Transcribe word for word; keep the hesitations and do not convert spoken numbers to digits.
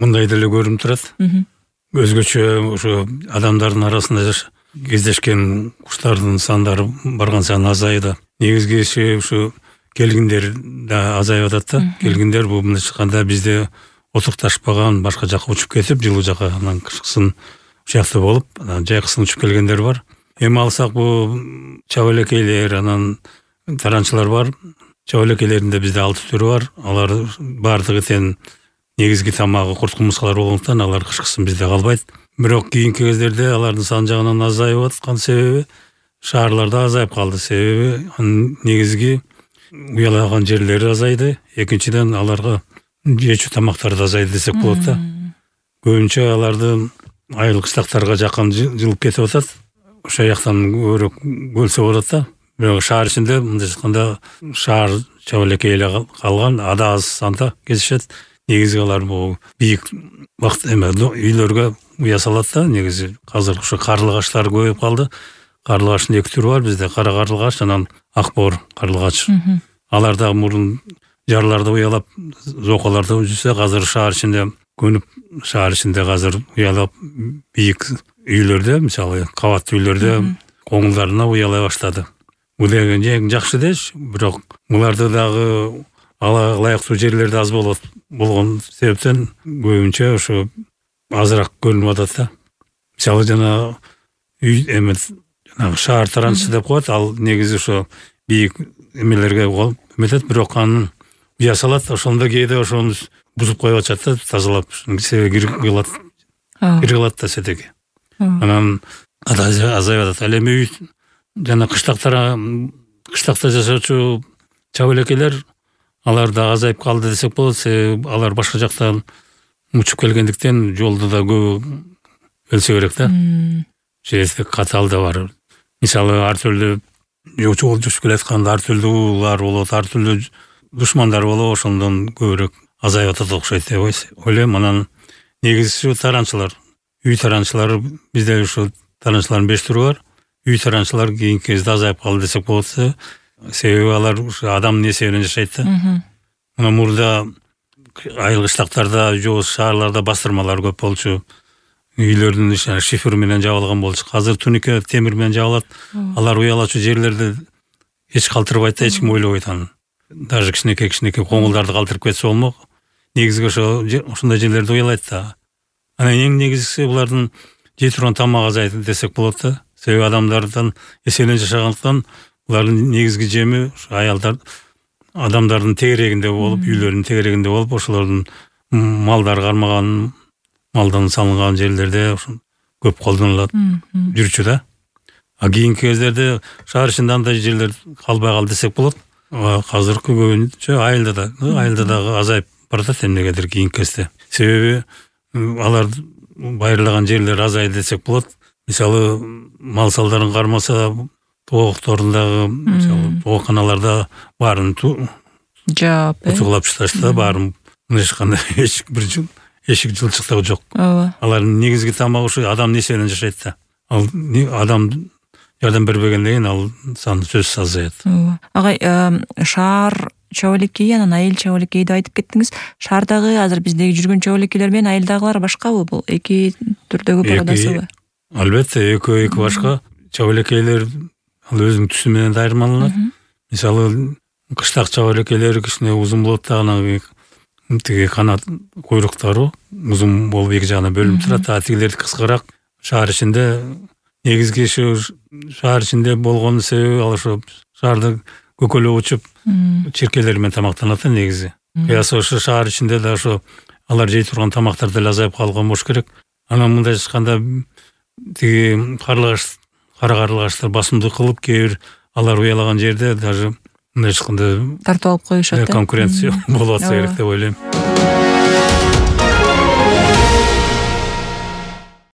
мындай деле көрүнүп турат. Өзгөчө ошо адамдардын арасында кездешкен куштардын сандары барган сайын азайды. Негизгиси ушу келгиндер да азайып атат да. Келгиндер бул мындайча айтканда бизде отукташпаган, башка жака учуп кетип, жылуу жака анан кышкысын ушакта болуп, анан жайкысын учуп келгендер бар. Эми алсак бул чабалекейлер, анан таранчылар бар. Чабалекейлердин бизде алты түрү бар. Алар бардыгы тең негизги тамагы курт кумурскалар болгондуктан алар кышкысын бизде калбайт. Бирок кийинки кездерде алардын саны жагынан азайып аткан себеби шаарларда азайып калды. Себеби негизги уялаган жерлери азайды. Экинчиден аларга жечү тамактары да азайды десек болот да. Көбүнчө аларды айыл кыштактарга жакын жылып кетип атат. Ошол жактан көбүрөөк бөлсө болот да. Бирок шаар ичинде мындайча айтканда шаар чабалекейли калган ада аз санда кезишет. Негизи алар бул бийик вакыт эме үйлөргө уя салат да. Негизи азыр ушу карлыгачлар көбөйүп калды. Карлыгачтын эки түрү бар бизде: кара карлыгач, анан ак боор карлыгач. Алар да мурун жарларда уялап, зоколордо жүрсө, азыр шаар ичинде көнүп, шаар ичинде азыр уялап бийик үйлөрдө, мисалы кабаттуу үйлөрдө коңулдарына уялай баштады. Бул деген эң жакшы деш, бирок буларды дагы ала ылайыктуу жерлерде аз болот. Болгон себептен көбүнчө ошо азыраак көрүнүп атат да. Мисалы жана үй эме жана шаар таранчысы деп коет, ал негизи ошо бийик эмелерге эметет, бирок анын уя салат, ошондо кээде ошону бузуп коюп атышат да, тазалап, себеби кирип кылат. Кирип калат да сетеги. Анан азайып атат. Ал эми үй жана кыштактар, кыштакта жашоочу чабалекелер алар да азайып калды десек болот. Себеби алар башка жактан учуп келгендиктен жолдо да көп өлсө керек да. Жердик катал да бар. Мисалы ар түрдүү жол жушуп келатканда ар түрдүү уулар болот, ар түрдүү душмандар болот, ошондон көбүрөөк азайып атат окшойт деп ойлойм. Анан негизги таранчылар, үй таранчылары бизде ушу таранчылардын беш түрү бар. Үй таранчылар кийинки кезде азайып калды десек болот. Себеби алар ушу адамдын эсебинен жашайт да. Мына мурда айыл кыштактарда же шаарларда бастырмалар көп болчу. Үйлөрдүн иши шифер менен жабылган болчу. Азыр тунике темир менен жабылат. Алар уялачу жерлерди эч калтырбайт да, эч ким ойлобойт аны. Даже кичинекей-кичинекей коңулдарды калтырып кетсе болмок. Негизги ошо ошондой жерлерде уялайт да. Анан эң негизгиси булардын жей турган тамагы азайды десек болот да. Себеби адамдардан эсебинен жашагандыктан булардын негизги жеми аялдар, адамдардын тегерегинде болуп, үйлөрүнүн тегерегинде болуп, ошолордун малдар кармаган, малдан салынган жерлерде көп колдонулат, жүрчү да. А кийинки кездерде шаар ичинде андай жерлер калбай калды десек болот. Азыркы көбүнчө айылда да, айылда дагы азайып баратат эмнегедир кийинки кезде. Себеби алар байырлаган жерлер азайды десек болот. Мисалы мал салдарын кармаса, тоокторундагы, мисалы тооканаларда баарын жаап, утугулап ташташты, баарын мындайча айтканда эч бир жыл эшик жылчыктыгы жок. Алардын негизги тамагы ушу адамдын эсебинен жашайт да. Ал адам жардам бербегенден кийин ал саны сөзсүз азаят. Агай, шаар чабалекеи, анан айыл чабалекеи деп айтып кеттиңиз. Шаардагы азыр биздеги жүргөн чабалекейлер менен айылдагылар башкабы? Бул эки түрдөгү парадасыбы? Албетте, экөө эки башка. Чабалекейлер ал өзүнүн түсү менен да айырмаланат. Мисалы кыштак чабалекейлер кичине узун болот да, анан тиги канат куйруктары узун болуп эки жагына бөлүнүп турат. А тигилерди кыскараак. Шаар ичинде негизги ушу шаар ичинде болгон себеби ал ошо шаарды көкөлөп учуп чиркелер менен тамактанат негизи. Кыясы ошо шаар ичинде да ошо алар жей турган тамактар деле азайып калган болуш керек. Анан мындай айтканда тиги карлыгач, кара карлыгачтар басымдык кылып, кээ бир алар уялаган жерде даже мындай айтканда тартып алып коюшат. Конкуренция болуп атса керек деп ойлойм.